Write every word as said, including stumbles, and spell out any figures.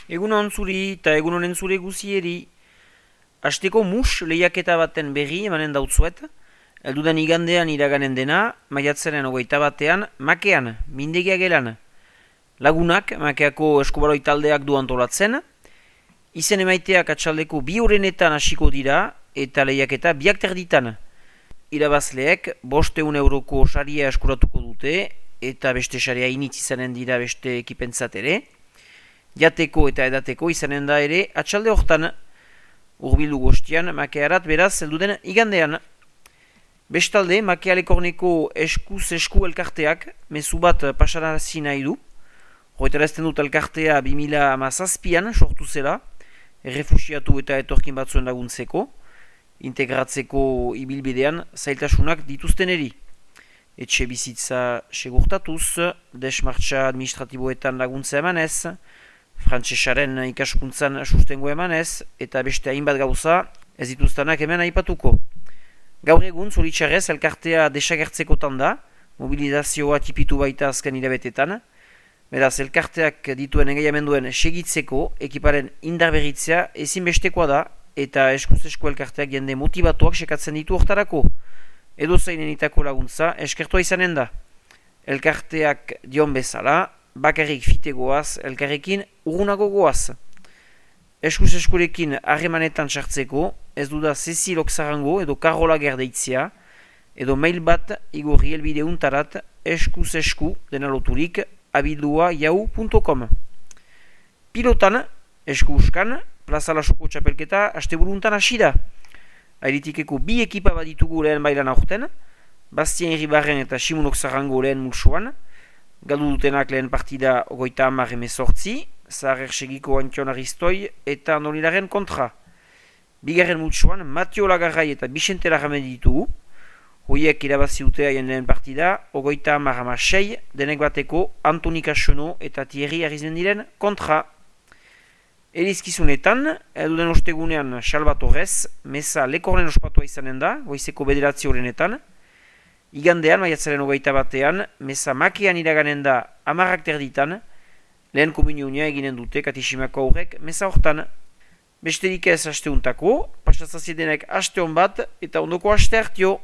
Egun hon zuri eta egun honen zure guzieri. Asteko mus lehiaketa baten berri emanen dautzuet. Eldudan igandean iraganen dena, maiatzaren hogeita batean, makean, mindegia gelan. Lagunak, makeako eskubaloi taldeak du antolatzen. Izen emaiteak atxaldeko bi horrenetan hasiko dira eta lehiaketa biak terditan. Irabazleek bosteun euroko saria eskuratuko dute eta beste saria initz izanen dira beste ekipentzat ere. Jateko eta edateko izanen da ere atxalde hortan. Urbildu gostian makearat beraz elduden igandean. Bestalde, makealekorneko eskuz esku elkarteak mezu bat pasarazi nahi du. Hoetarazten dut elkartea bi mila hamazazpian sortu zela, errefusiatu eta etorkin batzuen laguntzeko, integratzeko ibilbidean zailtasunak dituzten eri. Etxe bizitza segurtatuz, desmartxa administratiboetan laguntza emanez, frantsesaren ikaskuntzan sustengo emanez, eta beste hainbat gauza ez dituztanak hemen aipatuko. Gaur egun, zoritxarrez, elkartea desagertzekotan da, mobilizazioa tipitu baita azken irabetetan. Beraz, elkarteak dituen engaiamenduen segitzeko, ekiparen indarberritzea ezinbestekoa da, eta eskuz esku elkarteak jende motivatuak sekatzen ditu hortarako. Edo zainenitako laguntza eskertua izanen da. Elkarteak dion bezala, bakarrik fite goaz, elkarrekin urgunago goaz. Eskuz eskurekin harremanetan sartzeko, ez duda Cecil Oksarango edo Karola Gerdeitzia, edo mail bat igorri elbide untarat eskuz esku dena loturik abildua yahoo punto com. Pilotan, esku uskan, Plaza Lasoko txapelketa asteburuntan hasi da. Airitikeko bi ekipa bat ditugu lehen bailan aurten, Bastien Irribarren eta Simon Oksarango lehen multsoan, galdu dutenak lehen partida ogoita hamar emezortzi, Zahar Ersegiko Antion Aristoi eta Nolilaren kontra. Bigarren multsoan, Matio Lagarrai eta Bixente Larramen ditugu, hoiek irabazi dute haien lehen partida, ogoita hamar hamasei, denek bateko Antoni Kasono eta Thierry Arizmendiren kontra. Elizkizunetan, eduden ostegunean Salvatorez, meza lekorren ospatua izanen da, goizeko bederatzi horrenetan. Igandean, maiatzaren hogeita batean, meza makean iraganen da amarrak terditan, lehen komunionia eginen dute Katiximako aurrek meza hortan. Besterik ez asteuntako, pasatzazidenek aste hon bat eta ondoko aste hartio.